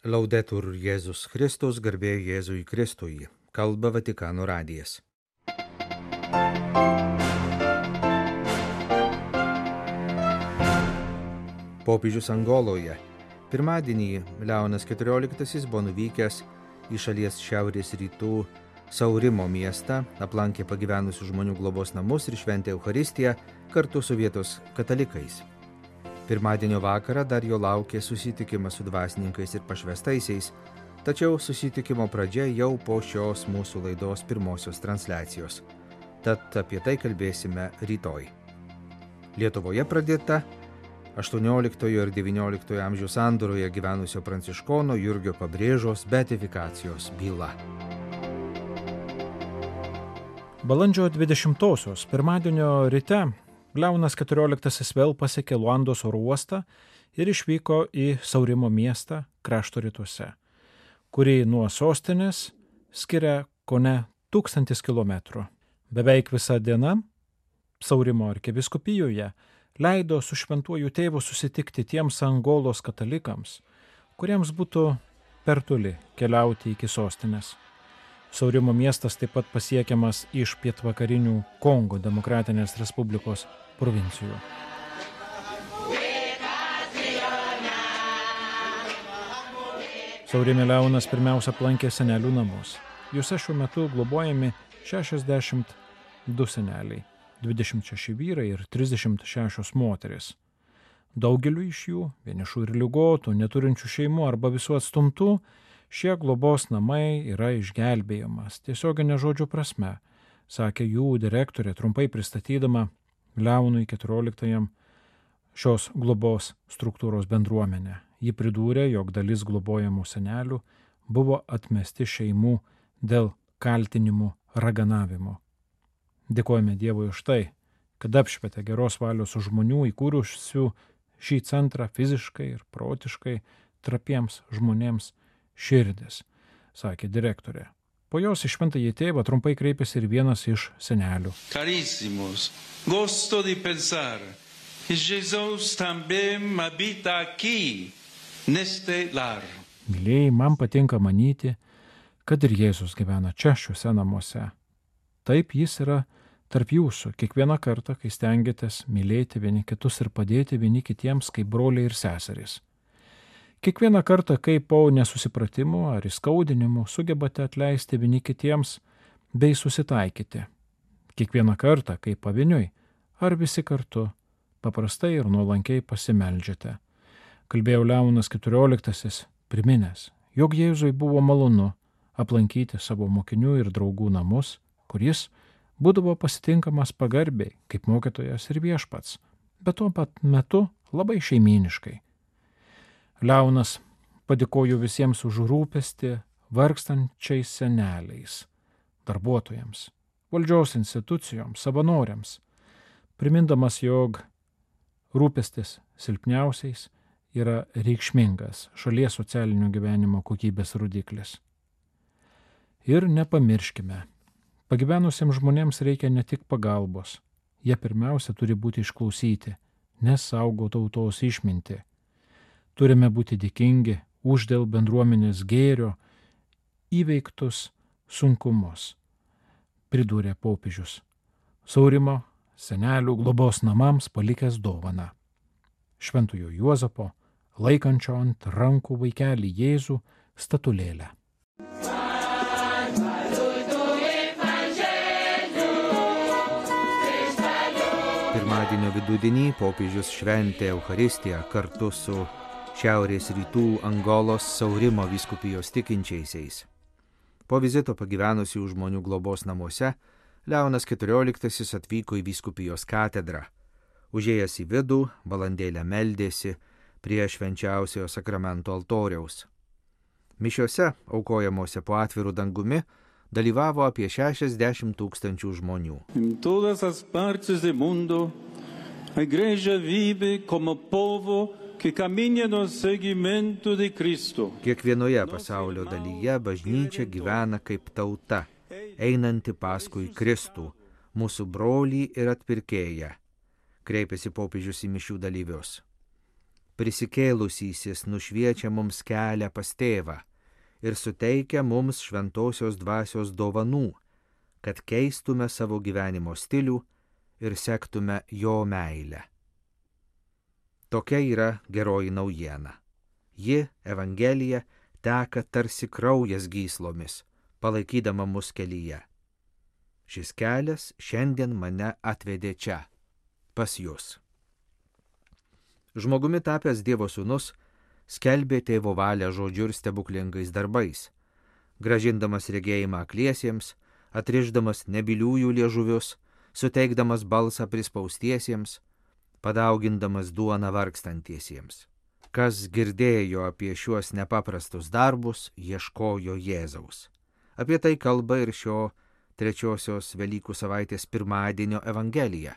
Laudetur Jėzus Kristus, garbė Jėzui Kristui. Kalba Vatikano radijas. Popiežius Angoloje. Pirmadienį Leonas XIV buvo nuvykęs į šalies šiaurės rytų Saurimo miestą, aplankė pagyvenusių žmonių globos namus ir šventė Eucharistiją kartu su vietos katalikais. Pirmadienio vakarą dar jo laukė susitikimas su dvasininkais ir pašvestaisiais, tačiau susitikimo pradžia jau po šios mūsų laidos pirmosios transliacijos. Tad apie tai kalbėsime rytoj. Lietuvoje pradėta 18 ir 19 amžių sandūroje gyvenusio pranciškono Jurgio Pabrėžos beatifikacijos byla. Balandžio 20-osios pirmadienio ryte Leonas XIV vėl pasiekė Luandos oro uostą ir išvyko į Saurimo miestą krašto rytuose, kurį nuo sostinės skiria kone 1000 kilometrų. Beveik visą dieną Saurimo arkivyskupijoje leido su šventuoju tėvu susitikti tiems Angolos katalikams, kuriems būtų per toli keliauti iki sostinės. Saurimo miestas taip pat pasiekiamas iš pietvakarinių Kongo Demokratinės Respublikos provincijų. Saurime Leonas pirmiausia aplankė senelių namus. Juose šiuo metu globojami 62 seneliai, 26 vyrai ir 36 moteris. Daugeliu iš jų, vienišų ir ligotų, neturinčių šeimų arba visų atstumtų, šie globos namai yra išgelbėjimas, tiesioginė žodžio prasme, sakė jų direktorė, trumpai pristatydama Leonui XIV šios globos struktūros bendruomenę. Ji pridūrė, jog dalis globojamų senelių buvo atmesti šeimų dėl kaltinimų raganavimu. Dėkojame Dievui už tai, kad apšvietė geros valios žmonių įkūrusių šį centrą fiziškai ir protiškai trapiems žmonėms širdis, sakė direktorė. Po jos į šventąjį tėvą trumpai kreipėsi ir vienas iš senelių. Carísimos, gosto di pensare che Jesús también habita aquí, neste lar. Mylėjai, man patinka manyti, kad ir Jėzus gyvena čia šiuose namuose. Taip jis yra tarp jūsų kiekvieną kartą, kai stengiatės mylėti vieni kitus ir padėti vieni kitiems kaip broliai ir seserys. Kiekvieną kartą, kai po nesusipratimų ar įskaudinimų sugebate atleisti vieni kitiems bei susitaikyti. Kiekvieną kartą, kai pavieniui ar visi kartu paprastai ir nuolankiai pasimeldžiate. Kalbėjo Leonas XIV, priminęs, jog Jėzui buvo malonu aplankyti savo mokinių ir draugų namus, kur jis būdavo pasitinkamas pagarbiai kaip mokytojas ir viešpats, bet tuo pat metu labai šeimyniškai. Leonas padėkojo visiems už rūpestį vargstančiais seneliais, darbuotojams, valdžios institucijoms, savanoriams, primindamas, jog rūpestis silpniausiais yra reikšmingas šalies socialinio gyvenimo kokybės rodiklis. Ir nepamirškime, pagyvenusiems žmonėms reikia ne tik pagalbos, jie pirmiausia turi būti išklausyti, nes saugo tautos išmintį. Turime būti dėkingi už dėl bendruomenės gėrio įveiktus sunkumus, pridūrė popiežius, Saurimo senelių globos namams palikęs dovaną. Šventojo Juozapo, laikančio ant rankų vaikelį Jėzų statulėlę. Pirmadienio vidudienį popiežius šventė Eucharistiją kartu su šiaurės rytų Angolos Saurimo vyskupijos tikinčiaisiais. Po vizito pagyvenusių žmonių globos namuose Leonas XIV atvyko į vyskupijos katedrą. Užėjęs į vidų, valandėlę meldėsi prie švenčiausiojo sakramento altoriaus. Mišiose, aukojamuose po atviru dangumi, dalyvavo apie 60 000 žmonių. En todas las partes del mundo, la iglesia vive como povo que camina en el seguimiento de Cristo. Kiekvienoje pasaulio dalyje bažnyčia gyvena kaip tauta, einanti paskui Kristų, mūsų brolį ir atpirkėją, kreipėsi popiežius į mišių dalyvius. prisikėlusysis nušviečia mums kelią pas tėvą ir suteikia mums šventosios dvasios dovanų, kad keistume savo gyvenimo stilių ir sektume jo meilę. Tokia yra geroji naujiena. Ji, Evangelija, teka tarsi kraujas gyslomis, palaikydama mus kelyje. Šis kelias šiandien mane atvedė čia, pas jūs. Žmogumi tapęs Dievo sūnus skelbė tėvo valią žodžiu ir stebuklingais darbais, grąžindamas regėjimą akliesiems, atrišdamas nebyliųjų liežuvius, suteikdamas balsą prispaustiesiems, padaugindamas duoną vargstantiesiems. Kas girdėjo apie šiuos nepaprastus darbus, ieškojo Jėzaus. Apie tai kalba ir šio trečiosios Velykų savaitės pirmadienio Evangelija,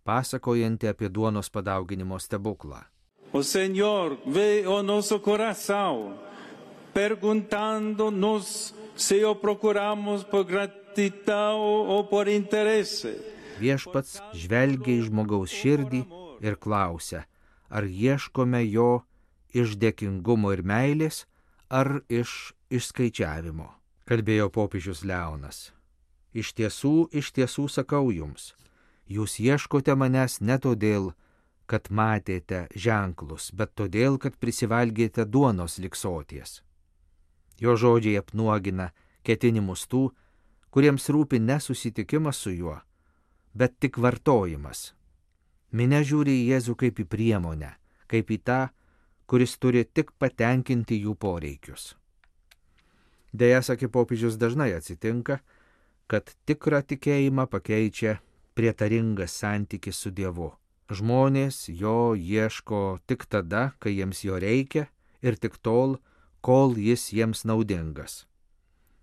pasakojanti apie duonos padauginimo stebuklą. O Señor, ve o nosso coração, perguntando-nos se o procuramos por gratidão ou por interesse. Viešpats žvelgia į žmogaus širdį ir klausia, ar ieškome jo iš dėkingumo ir meilės, ar iš išskaičiavimo. Kalbėjo popiežius Leonas. Iš tiesų sakau jums, jūs ieškote manęs ne todėl, kad matėte ženklus, bet todėl, kad prisivalgėte duonos lig soties. Jo žodžiai apnuogina ketinimus tų, kuriems rūpi ne susitikimas su juo, bet tik vartojimas. Minia žiūri į Jėzų kaip į priemonę, kaip į tą, kuris turi tik patenkinti jų poreikius. Deja, sakė popiežius, dažnai atsitinka, kad tikrą tikėjimą pakeičia prietaringas santykis su Dievu. Žmonės jo ieško tik tada, kai jiems jo reikia ir tik tol, kol jis jiems naudingas.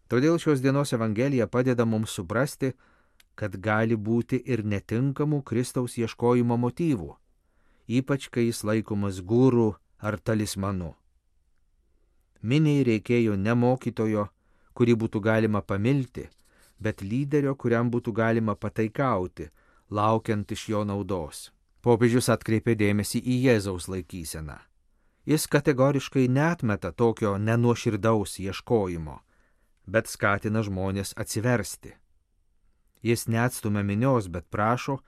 Todėl šios dienos Evangelija padeda mums suprasti, kad gali būti ir netinkamų Kristaus ieškojimo motyvų, ypač kai jis laikomas guru ar talismanu. Miniai reikėjo ne mokytojo, kurį būtų galima pamilti, bet lyderio, kuriam būtų galima pataikauti, laukiant iš jo naudos. Popiežius atkreipė dėmesį į Jėzaus laikyseną. Jis kategoriškai neatmeta tokio nenuoširdaus ieškojimo, bet skatina žmonės atsiversti. Jis neatstumia minios, bet prašo,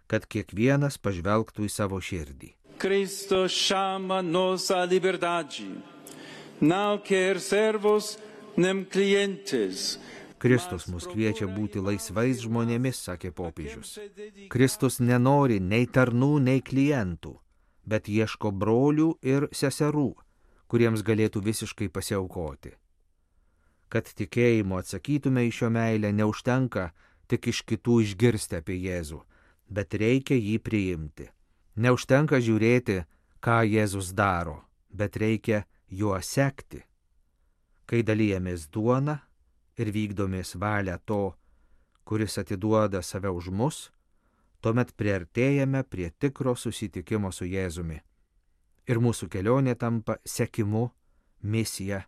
kad kiekvienas pažvelgtų į savo širdį. Cristo chama nos à liberdade, não quer servos nem clientes. Kristus mus kviečia būti laisvais žmonėmis, sakė popiežius. Kristus nenori nei tarnų, nei klientų, bet ieško brolių ir seserų, kuriems galėtų visiškai pasiaukoti. Kad tikėjimu atsakytume į šio meilę, neužtenka tik iš kitų išgirsti apie Jėzų, bet reikia jį priimti. Neužtenka žiūrėti, ką Jėzus daro, bet reikia juo sekti. Kai dalijamės duoną ir vykdomės valią to, kuris atiduoda save už mus, tuomet priartėjame prie tikro susitikimo su Jėzumi. Ir mūsų kelionė tampa sekimu, misija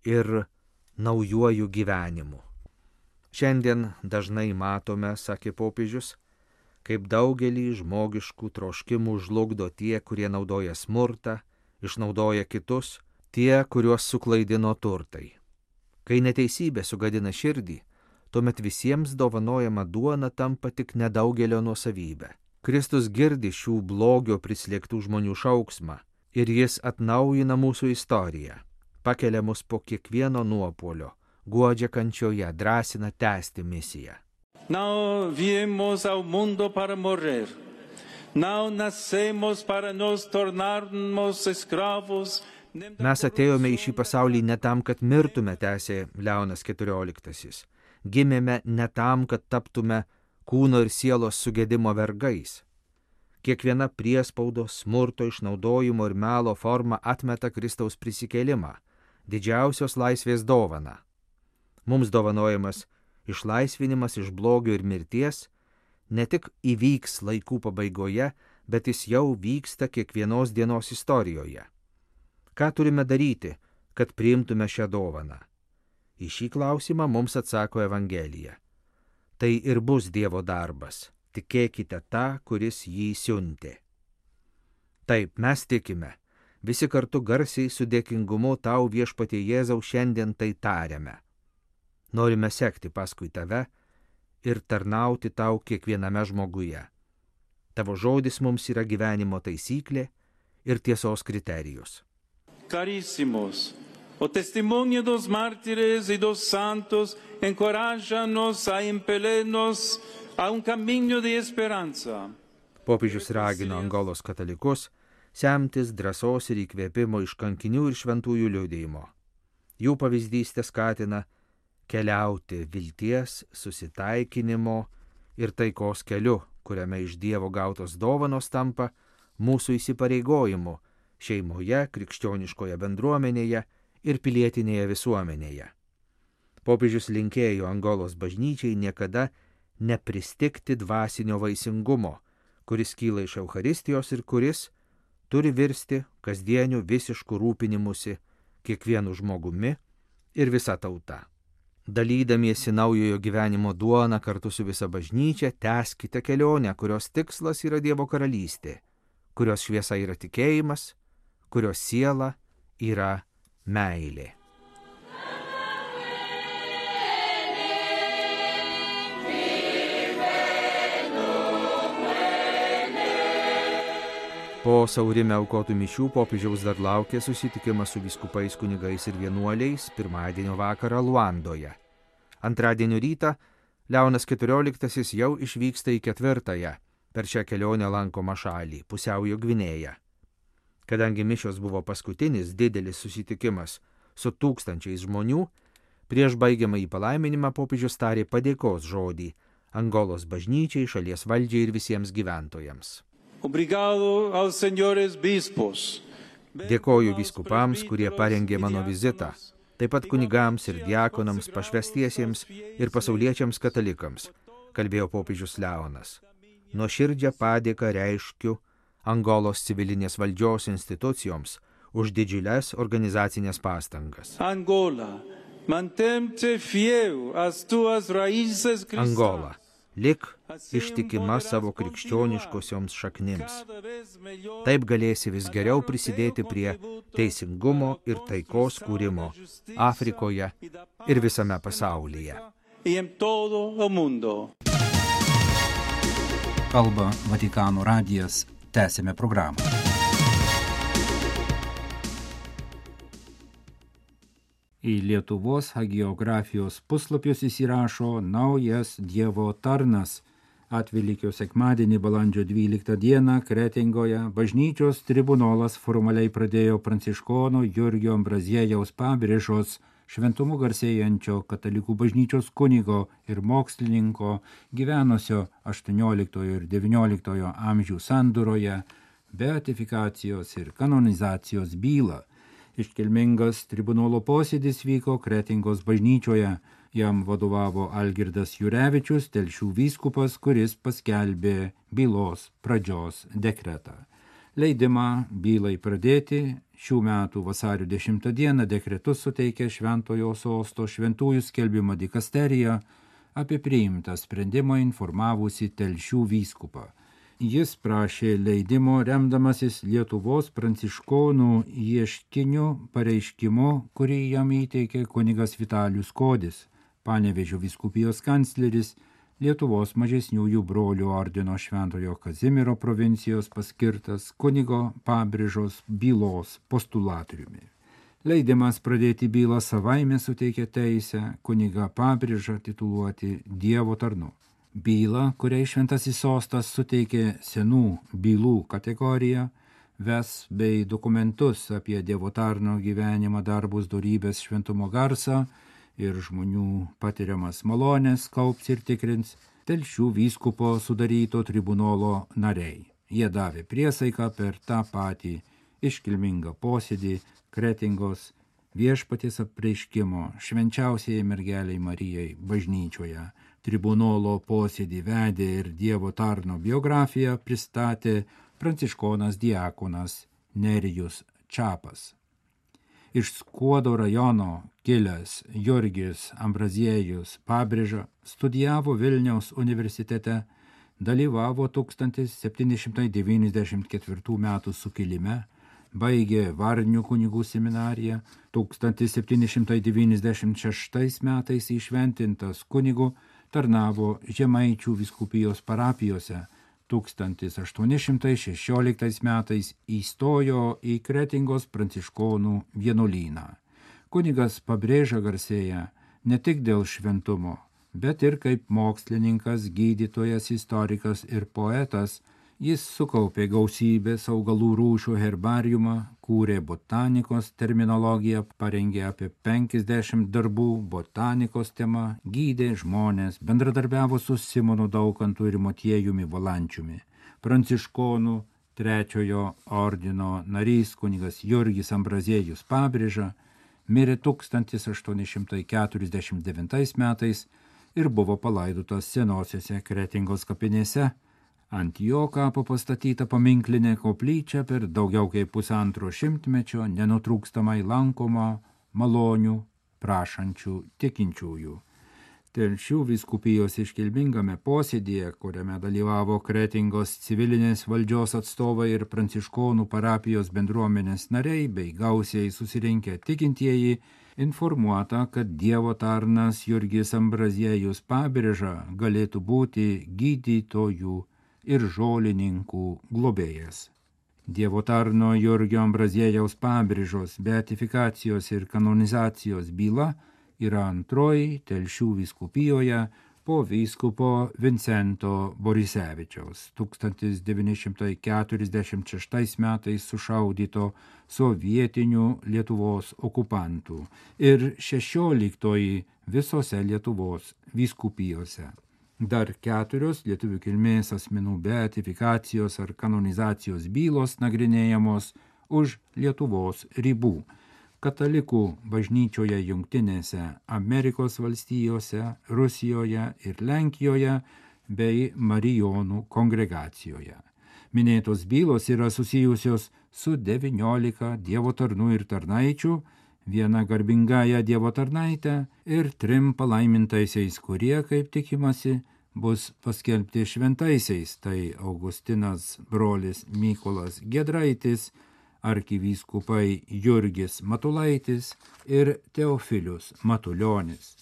ir naujuoju gyvenimu. Šiandien dažnai matome, sakė popiežius, kaip daugelį žmogiškų troškimų žlugdo tie, kurie naudoja smurtą, išnaudoja kitus, tie, kuriuos suklaidino turtai. Kai neteisybė sugadina širdį, tuomet visiems dovanojama duona tampa tik nedaugelio nuosavybė. Kristus girdi šių blogio prislėgtų žmonių šauksmą ir jis atnaujina mūsų istoriją, pakelia mus po kiekvieno nuopuolio, guodžia kančioje, drąsina tęsti misiją. Não viemos ao mundo para morrer, não nascemos para nos tornarmos escravos. Mes atėjome į šį pasaulį ne tam, kad mirtume, tęsė Leonas XIV. Gimėme ne tam, kad taptume kūno ir sielos sugedimo vergais. Kiekviena priespaudos, smurto, išnaudojimo ir melo forma atmeta Kristaus prisikėlimą, didžiausios laisvės dovaną. Mums dovanojamas išlaisvinimas iš blogio ir mirties ne tik įvyks laikų pabaigoje, bet jis jau vyksta kiekvienos dienos istorijoje. Ką turime daryti, kad priimtume šią dovaną? Į šį klausimą mums atsako Evangelija. Tai ir bus Dievo darbas. Tikėkite tą, kuris jį siuntė. Taip, mes tikime, visi kartu garsiai su dėkingumu tau viešpatie Jėzau šiandien tai tariame. Norime sekti paskui tave ir tarnauti tau kiekviename žmoguje. Tavo žodis mums yra gyvenimo taisyklė ir tiesos kriterijus. Carísimos, o testimonio dos mártires y dos santos encorájanos a impelirnos a un camino de esperanza. Popiežius ragino Angolos katalikus semtis drąsos ir įkvėpimo iš kankinių ir šventųjų liudijimo. Jų pavyzdys skatina keliauti vilties, susitaikinimo ir taikos keliu, kuriame iš Dievo gautos dovanos tampa mūsų įsipareigojimu šeimoje, krikščioniškoje bendruomenėje ir pilietinėje visuomenėje. Popiežius linkėjo Angolos bažnyčiai niekada nepristigti dvasinio vaisingumo, kuris kyla iš Eucharistijos ir kuris turi virsti kasdieniu visišku rūpinimusi kiekvienu žmogumi ir visa tauta. Dalydamiesi naujojo gyvenimo duoną kartu su visa bažnyčia, tęskite kelionę, kurios tikslas yra Dievo karalystė, kurios šviesa yra tikėjimas, kurios siela yra meilė. Po Saurime aukotų mišių popiežiaus dar laukė susitikimas su vyskupais, kunigais ir vienuoliais pirmadienio vakarą Luandoje. Antradienio rytą Leonas XIV jau išvyksta į 4. per šią kelionę lankomą šalį, Pusiaujo Gvinėją. Kadangi mišios buvo paskutinis didelis susitikimas su tūkstančiais žmonių, prieš baigiamą į palaiminimą popiežius tarė padėkos žodį Angolos bažnyčiai, šalies valdžiai ir visiems gyventojams. Obrigado aos senhores bispos. Dėkoju vyskupams, kurie parengė mano vizitą, taip pat kunigams ir diakonams, pašvestiesiems ir pasauliečiams katalikams, kalbėjo popiežius Leonas. Nuoširdžią padėką reiškiu Angolos civilinės valdžios institucijoms už didžiules organizacinės pastangas. Angola, mantente fiel às tuas raíces cristãs. Angola, lik ištikima savo krikščioniškosioms šaknims. Taip galėsi vis geriau prisidėti prie teisingumo ir taikos kūrimo Afrikoje ir visame pasaulyje. Kalba Vatikano radijas. Tęsime programą. Į Lietuvos hagiografijos puslapius įsirašo naujas Dievo tarnas. Atvelykio sekmadienį balandžio 12 dieną Kretingoje bažnyčios tribunolas formaliai pradėjo pranciškono Jurgio Ambraziejaus Pabrėžos šventumu garsėjančio katalikų bažnyčios kunigo ir mokslininko gyvenusio 18 ir 19 amžių sandūroje beatifikacijos ir kanonizacijos bylą. Iškilmingas tribunolo posėdis vyko Kretingos bažnyčioje. Jam vadovavo Algirdas Jurevičius, Telšių vyskupas, kuris paskelbė bylos pradžios dekretą. Leidimą bylai pradėti šių metų vasario 10 dieną dekretus suteikė Šventojo sosto šventųjų skelbimo dikasterija, apie priimtą sprendimą informavusi Telšių vyskupą. Jis prašė leidimo remdamasis Lietuvos pranciškonų ieškiniu pareiškimu, kurį jam įteikė kunigas Vitalijus Kodis, Panevėžio vyskupijos kancleris, Lietuvos mažesniųjų brolių ordino Šventojo Kazimiero provincijos paskirtas kunigo Pabrėžos bylos postulatoriumi. Leidimas pradėti bylą savaime suteikė teisę kunigą Pabrėžą tituluoti Dievo tarnu. Bylą, kuriai Šventasis sostas suteikė senų bylų kategoriją, ves bei dokumentus apie Dievo tarno gyvenimą, darbus, dorybės, šventumo garsą ir žmonių patiriamas malonės kaups ir tikrins Telšių vyskupo sudaryto tribunolo nariai. Jie davė priesaiką per tą patį iškilmingą posėdį Kretingos viešpaties apreiškimo švenčiausiai mergeliai Marijai bažnyčioje. Tribunolo posėdį vedė ir Dievo tarno biografiją pristatė pranciškonas diakonas Nerijus Čapas. Iš Skuodo rajono kilęs Jurgis Ambraziejus Pabrėža studijavo Vilniaus universitete, dalyvavo 1794 m. sukilime, baigė Varnių kunigų seminariją, 1796 metais įšventintas kunigu, tarnavo Žemaičių vyskupijos parapijose, 1816 metais įstojo į Kretingos pranciškonų vienuolyną. Kunigas Pabrėža garsėja ne tik dėl šventumo, bet ir kaip mokslininkas, gydytojas, istorikas ir poetas. Jis sukaupė gausybės augalų rūšių herbariumą, kūrė botanikos terminologiją, parengė apie 50 darbų botanikos tema, gydė žmonės, bendradarbiavo su Simonu Daukantu ir Motiejumi Valančiumi. Pranciškonų trečiojo ordino narys kunigas Jurgis Ambraziejus Pabrėža mirė 1849 metais ir buvo palaidotas senosiose Kretingos kapinėse. Ant jo kapo pastatyta paminklinė koplyčia per daugiau kaip 1,5 šimtmečio nenutrūkstamai lankoma malonių prašančių tikinčiųjų. Telšių vyskupijos iškilmingame posėdyje, kuriame dalyvavo Kretingos civilinės valdžios atstovai ir pranciškonų parapijos bendruomenės nariai bei gausiai susirinkę tikintieji, informuota, kad Dievo tarnas Jurgis Ambraziejus Pabrėža galėtų būti gydytojų ir žolininkų globėjas. Dievo tarno Jurgio Ambraziejaus Pabrėžos beatifikacijos ir kanonizacijos byla yra antroji Telšių vyskupijoje po vyskupo Vincento Borisevičiaus 1946 metais sušaudyto sovietinių Lietuvos okupantų ir 16 visose Lietuvos vyskupijose. Dar 4 lietuvių kilmės asmenų beatifikacijos ar kanonizacijos bylos nagrinėjamos už Lietuvos ribų. Katalikų bažnyčioje Jungtinėse Amerikos valstijose, Rusijoje ir Lenkijoje bei Marijonų kongregacijoje. Minėtos bylos yra susijusios su 19 Dievo tarnų ir tarnaičių, viena garbingąja Dievo tarnaitę ir 3 palaimintaisiais, kurie, kaip tikimasi, bus paskelbti šventaisiais, tai Augustinas brolis Mykolas Giedraitis, arkivyskupai Jurgis Matulaitis ir Teofilius Matulionis.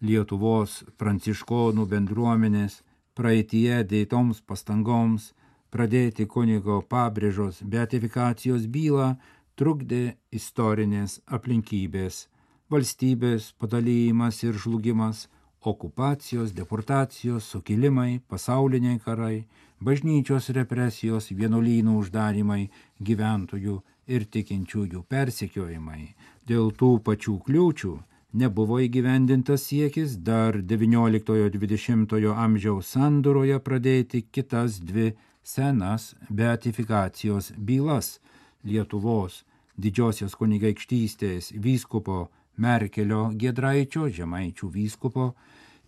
Lietuvos pranciškonų bendruomenės praeityje dėtoms pastangoms pradėti kunigo Pabrėžos beatifikacijos bylą trukdė istorinės aplinkybės, valstybės padalyjimas ir žlugimas, okupacijos, deportacijos, sukilimai, pasauliniai karai, bažnyčios represijos, vienuolynų uždarymai, gyventojų ir tikinčiųjų persekiojimai. Dėl tų pačių kliūčių nebuvo įgyvendintas siekis dar XIX-XX amžiaus sandūroje pradėti kitas 2 senas beatifikacijos bylas Lietuvos Didžiosios kunigaikštystės vyskupo Merkelio Giedraičio, Žemaičių vyskupo,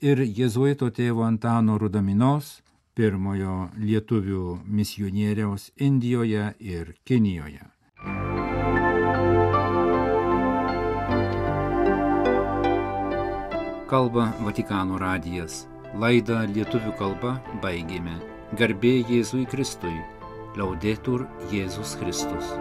ir jėzuito tėvo Antano Rudaminos, pirmojo lietuvių misionieriaus Indijoje ir Kinijoje. Kalba Vatikano radijas. Laidą lietuvių kalba baigėme. Garbė Jėzui Kristui. Laudetur Jėzus Kristus.